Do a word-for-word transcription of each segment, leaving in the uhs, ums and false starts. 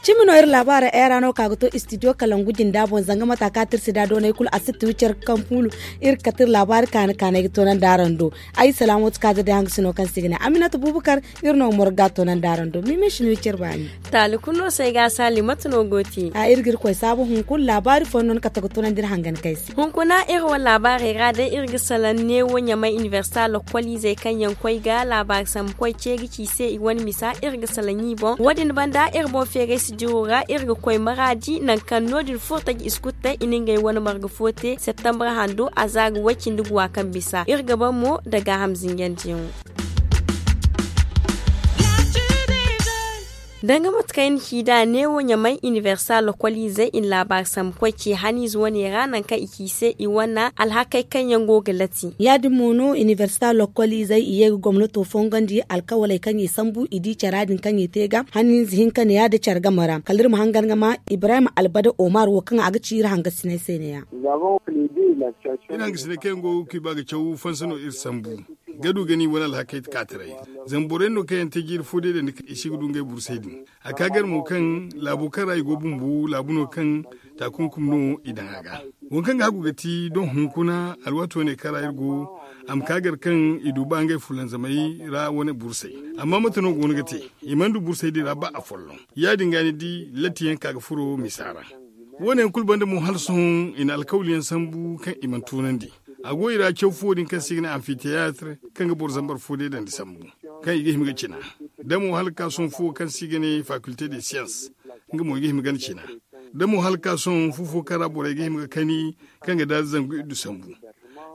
Cimi no iri laabaarey ay ra no ka ga to istidiyo kalangu jinda boŋ zanga mata ka tirsi da doonay kulu a si ti wicere kaŋ fuulu. Iri ga kate iri laabaari kaani kaanay ga toonandi araŋ do. Ay salaamooti ka ga day hangasino kaŋ se i ga ne aminata bubakar. Iri no ga morga toonandi araŋ do mimi si no wicere baani. Taali kulu no se ay ga a saali mate no go te? A iri ga iri koy saabu hunkuna laabaari fooyaŋ no ni kate ga toonandi iri hangan kay se. Hunkuna iri wane laabaarey ra day iri ga salaŋ neewo ɲamay inibersita lokoliizey kaŋ yaŋ koy ga laabaari sambu koy ce ga ci i se i wane misa iri ga salaŋ i boŋ wo- din banda iri boŋ feeray si diro ra iri ga koy maraadi nangu kaŋ no- din furo taji i si kulu te i na ngey wane marga fo te septembre hando a za ga way cindi guwa kaŋ bisa iri ga ban mo nda gaaham zinjandiyaŋo. Danga mate kaŋ ay na ci nd'a neewo ɲamay inibersita lokoliizey i na laabaari sambu koy ce haniize wane ra nangu kaŋ i ci i se i wane alhakey kaŋ yaŋ go ga lati. Ya- din mo no inibersita lokoliizey i ye ga gomnato fongandi alkawaley kaŋ i sambu i di cara din kaŋ i te ga haniize hinka ne ya- din care game ra kala iri ma hangan ga ma ibrahim albada omar wo kaŋ a ga ci iri hangasiney se ne- ya. Iri hangasiney kaŋ yaŋ go ga kuy ba ga caw fansa no iri sambu ga du ga ni wane alhakey kaataray. Zama borey no kaŋ yaŋ te jiiri fo day dandi i si ga du ngey bursey din. A ka gar mo kaŋ laabo kaŋ ra i go bumbo laabu no kaŋ taakunkum no i daŋ a ga. Waŋ kaŋ ga hagu ga ti doŋ hunkuna alwaato ne kaŋ ra iri go a ma ka gar kaŋ i du ba ngey fulanzamey ra wane bursey. Amma mate no go no ga te? I mana du bursey din ra ba afolloŋ. Ya- din ga ni di latti yaŋ ka ga furo misa ra. Wo- ne yaŋ kulu banda mo hala sohõ i na alkawli yaŋ sambu kaŋ i mana tunandi. A go i ra caw fo din kaŋ se i ga ne amfiteyatir kaŋ ga boro zambar fo day dandi sambu kaŋ i ga hima ga cina. Da mo hala ga ka sohõ fo kaŋ se i ga ne fakilte de siyans nga mo i ga hima ga cina. Da mo hala ga ka sohõ fu fo kaŋ ra borey ga hima ga kani kaŋ ga daari zangu iddu sambu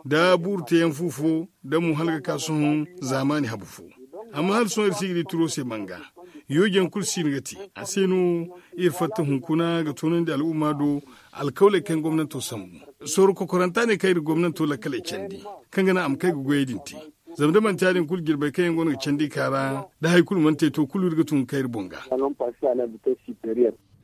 da buuru teeyaŋ fu fo da mo hala ga ka sohõ zaamaani habu fo. Amma hala sohõ iri si ga di turo se manga yooji yaŋ kulu si no ga te. A se no iri fatta hunkuna ga toonandi al'umma do alkawley kaŋ gomnanto sambu. Sorro kokoranta ne kaŋ iri gomnanto lakkaley candi kaŋ ga naŋ a ma kay ga goyey din te. Zama da manti ya- din kulu jirbey kaŋ yaŋ go no ga candi ka ra da hari kulu mana te to kulu iri ga tun ga kay iri boŋ ga.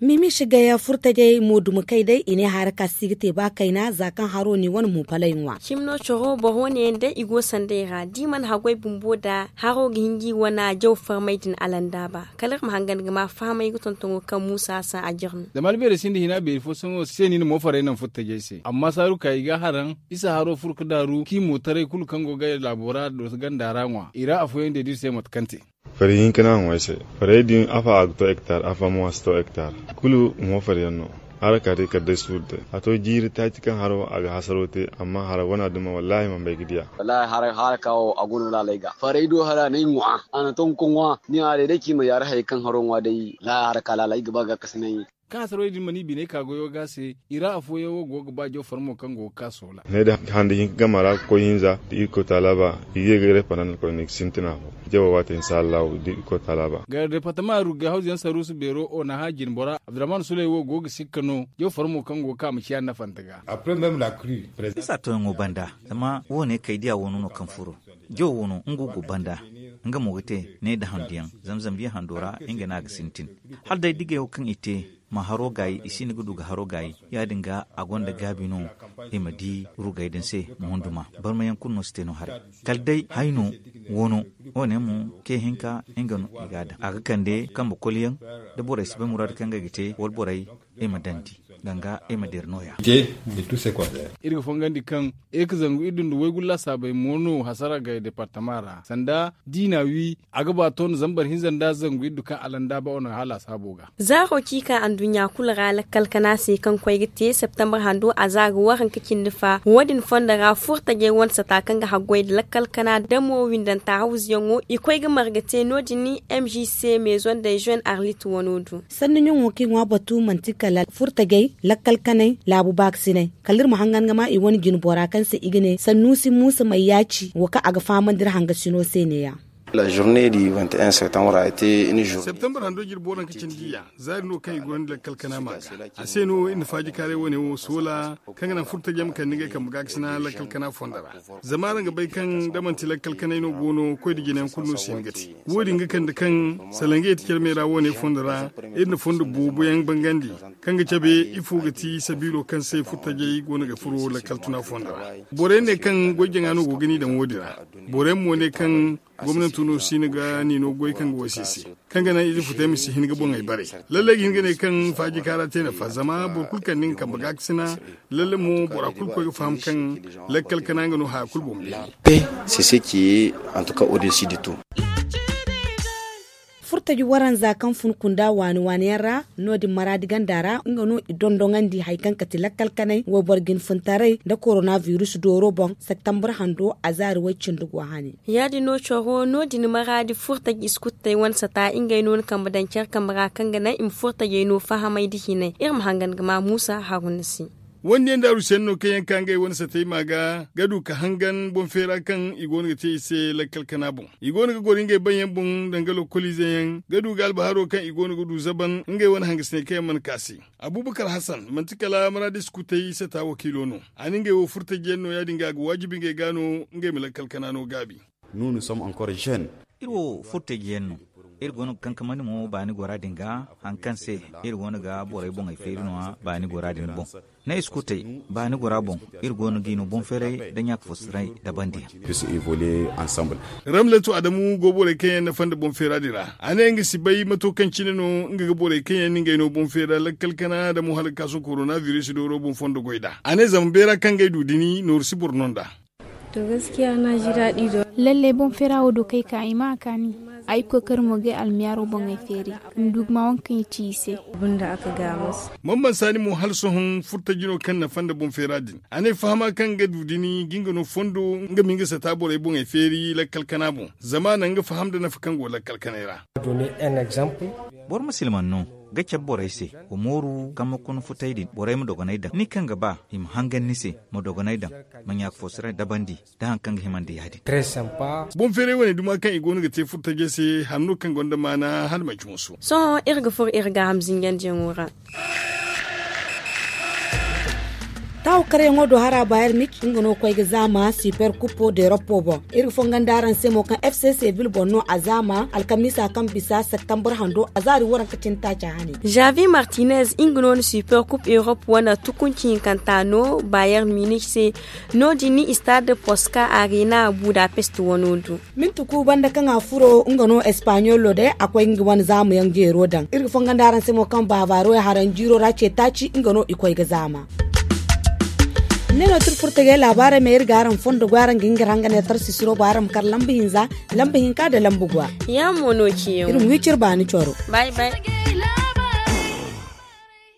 Mimi si gaya furtajey mo duma kay day i ne hara ka si ga te ba kayna za kaŋ haro ni wane mo palay ŋwa. Cimi no coro boro wane yaŋ day i go sanda i ra da i mana haggoy bumbo da haro ga hin ga i wane jaw farmay din alandaaba kala iri ma hangan ga ma fahamay ga tontoŋo kaŋ muusa hasan a jirmi. Zama albeerey sinda hina beeri fo sohõ se ni na moofarey naŋ furtajey se amma saaru ka i ga haraŋ isa haro furo ga daaru kaŋ i mootaray kulu kaŋ go ga laabo ra doso ganda ra ŋwa i ra afooyaŋ day da iri se mate kaŋ te. Farey hinka no a ŋwa ay se. Farey din afa a ga to hektar afa mo a si to hektar. Kulu mo faryaŋ no. Hara ka day kala day suuru day a to jiiri taaci kaŋ haro a ga hasaro te amma hara wana duma wallaahi man bay ga diya. Wallaahi hara ka wo a go no laalay ga farey do hara no ay ŋwa a na tonko ŋwa ni a day day ci ma yaari hayey kaŋ haro ŋwa day. Wallaahi hara ka laalay ga ba ga kasinay. Kaŋ hasarey din mana i biney ka goyo ga se i ra afooyaŋ wo go ga ba jaw farmo kaŋ go ga ka soola. Ne da hande hinka game ra ga koy hinza da irkoy taala ba i ga ye ga repanan koyne ga sintina fo. Jawo waate insha allahu da irkoy taala ba. Ga departama rugay hawzu yaŋ saruusu beero onaha jinbora abdurrahman suley wo go ga sikka no jaw farmo kaŋ go ga ka ma ciya nafanta ga. Isa toyaŋo banda zama wo- ne kay diya wano no kaŋ furo. Jaw wano nga go banda nga mo ga te ne da handu yaŋ zamzam biya hando ra nga no a ga sintin. Hala day digey wo kaŋ i te ma haro gaayi i si no ga du ga haro gaayi ya- din ga a gonda gaabi no. I ma di rugay din se ma hundu ma barmayaŋ kulu no si te no haray. Kala day hayno wano wo- ne mo ke hinka nga no i ga a daŋ a ga kande kambe koliyaŋ da borey si bay muraadu kaŋ ngey ga te wala borey i ma dandi danga i ma dira nooya. Iri ga fongandi kaŋ iri ga zangu iri dunda waygu laasaabey mo no hasara gay departama ra sanda diina wi a ga ba toona zambar hinza nda zangu iddu kaŋ alanda ba wane ga hala a saabo ga. Zaaro ci ka anduɲɲa kulu ra lakkal kana se kaŋ koy ga te septembre hando a za ga waranka cindi fa wo- din fondo ra furtajey wane sata kaŋ ga haggoy nda lakkal kana damo windanta hawzuyaŋo i koy ga marga te no- din. M G C maison de jeune arlit wano do. Sanni ɲaŋo kaŋ i ŋwa batu manti kala furtajey lakkal kanay laabu baakasinay kala iri ma hangan ga ma i wane jinbora kaŋ se i ga ne sannuusi muusa may yaaci wo kaŋ a ga fahamandi iri hangasino se neeya. La journée du vingt et un septembre a été une journée. Septembre hando jirbi waranka cindi ya zaari no kaŋ i gonda lakkal kana ma ga a se no iri na faaji kaaray wane wo soola kaŋ ga naŋ furtajey ma kande ngey kambe gaakasina lakkal kana fondo ra. Zama araŋ ga bay kaŋ da manti lakkal kanay no go no koy da jinayaŋ kulu no si hin ga te. Wo- din ga kande kaŋ salangey ti care me ra wane fondo ra iri na fondo boobo yaŋ bangandi kaŋ ga cabe ifo ga ti sabiilo kaŋ se furtajey go no ga furo lakkal tuna fondo ra. Borey ne kaŋ goy jaŋa no go ga ni daŋ wo- din ra. Borey mo ne kaŋ gomnanto no si no ga ni no goy kaŋ ga wasi se kaŋ ga naŋ ize futey ma si hin ga boŋey bare. Lallai ga hin ga ne kaŋ faaji kaara te nafa zama boro kulu kaŋ ni ga kambe gaakasina. Lallai mo bora kulu koy ga faham kaŋ lakkal kana nga no haya kulu boŋ beeri. Pe c'est ce qui est en tout cas au dessus de tout. Furtaji waranza kaŋ fun kunda waani waani yaŋ ra no- din maraadi ganda ra nga no i dondoŋandi hari kaŋ kate lakkal kanay wayboro jinfuntaray nda koronavirus dooro boŋ septembre hando a zaari way- cindi go hane. Ya- din no coro no- din maraadi furtaji iskuttey wane sata ngey no ni kambe daŋ care kambe ra kaŋ ga naŋ i ma furtajey no fahamay nda hinay iri ma hangan ga ma muusa haruna se. Wande nda arusiyaŋ no kaŋ yaŋ ka ngey wane satey ma ga ga du ka hangan boŋ feera kaŋ i go no ga te i se lakkal kana boŋ. I go no ga goro ngey baŋ yaŋ boŋ danga lokoliize yaŋ ga du ga albaharo kaŋ i go no ga du zaban ngey wane hangasiney kaŋ yaŋ mana ka se. Abubakar hasan manti kala maraadi iskutey sata wakiilo no. A na ngey wo furtaji yaŋ no ya- din ga a ga waajibi ngey ga no ngey ma lakkal kana no gaabi. Iri wo furtaji yaŋ no. Iri go no ga kankamandi mo baani gora din ga hari kaŋ se iri go no ga borey boŋey feeri no- ya baani gora din boŋ. Ne iskutey baani gora boŋ. Iri go no ga i no boŋ feeray nda ɲaaka fo siray nda bandi yaŋ. Ramletu adamu go borey kaŋ yaŋ nafa nda boŋ feera din ra a ne nga si bay mato kaŋ cine no nga ga borey kaŋ yaŋ na ngey no boŋ feera lakkal kana nda mo hala ga ka sohõ koronaviris dooro boŋ fondo goy nd'a a ne zama beera kaŋ ngey du dini nooru si boro no nd'a. Lalle boŋ feera wo do kay ka i ma a kaani. Ay kookari mo ga ay almiyaaro boŋ ay feeri. Ndugu ma waŋ kaŋ i ci i se. Banda aka gaamas. Mamman saani mo hala sohõ furtaji no kaŋ nafa nda boŋ feera din a ne fahama kaŋ ga du dini ga nga no fondo nga ma nga sata borey boŋey feeri lakkal kana boŋ. Zama a na nga faham nda nafa kaŋ go lakkal kanay ra. Boro ma silman no ga cabe borey se. Wa mooru kaŋ ma kuna futay din borey ma dogonay daŋ ni kaŋ ga ba i ma hangan ni se. Ma dogonay daŋ ma ɲaaka fo siray dabandi da hari kaŋ ga himandi ya- din. Boŋ feeray wane duma kaŋ i go no ga te furtajey se hari no kaŋ gonda maana hala manci hunsu. Sohõ iri ga furo iri gaaham zinjandiyaŋo ra. Taawo karyaŋo do hara bayer mik nga no koy ga zaama super kupo de ropo boŋ. Iri ga fongan da araŋ se mo kaŋ f c sevil boŋ no a zaama alkamiisa kaŋ bisa septembre hando a zaari waranka cine taaci hane. Javi martinez nga no na super kup europe wane tukunci hinkanta no bayer munich se. No- din ni stade posca arena budapest wano do. Minti ku banda kaŋ a furo nga no espagnolo day a koy nga wane zaamu yaŋ jeero daŋ iri ga fongan da araŋ se mo kaŋ bavaro ya haraŋ jiiro ra ce taaci nga no i koy ga zaama. Ne no tirfurtagey laabaarey ma iri ga araŋ fondo goy araŋ ga hin ga iri hanga ne tarsisiro boŋ araŋ ma kar lamba hinza lamba hinka nda lamba gwa. Yaamo no ciyaŋ iri ma wi cire baani coro. Bay bay.